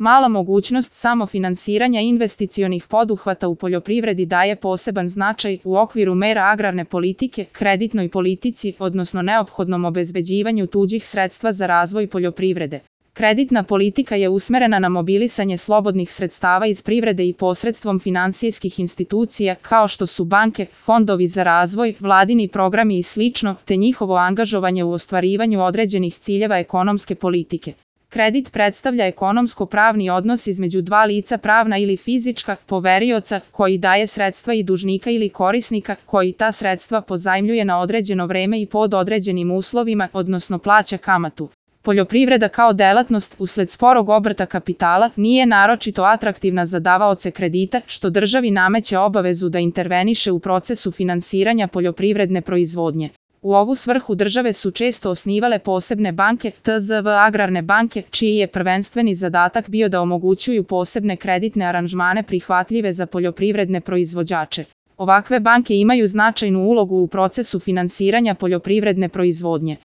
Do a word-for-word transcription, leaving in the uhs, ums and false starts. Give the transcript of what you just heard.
Mala mogućnost samofinansiranja investicionih poduhvata u poljoprivredi daje poseban značaj u okviru mera agrarne politike, kreditnoj politici, odnosno neophodnom obezbeđivanju tuđih sredstva za razvoj poljoprivrede. Kreditna politika je usmerena na mobilisanje slobodnih sredstava iz privrede i posredstvom finansijskih institucija kao što su banke, fondovi za razvoj, vladini programi i slično, te njihovo angažovanje u ostvarivanju određenih ciljeva ekonomske politike. Kredit predstavlja ekonomsko-pravni odnos između dva lica, pravna ili fizička, poverioca koji daje sredstva i dužnika ili korisnika koji ta sredstva pozajmljuje na određeno vreme i pod određenim uslovima, odnosno plaća kamatu. Poljoprivreda kao delatnost, usled sporog obrta kapitala, nije naročito atraktivna za davaoce kredita, što državi nameće obavezu da interveniše u procesu finansiranja poljoprivredne proizvodnje. U ovu svrhu države su često osnivale posebne banke, T Z V agrarne banke, čiji je prvenstveni zadatak bio da omogućuju posebne kreditne aranžmane prihvatljive za poljoprivredne proizvođače. Ovakve banke imaju značajnu ulogu u procesu finansiranja poljoprivredne proizvodnje.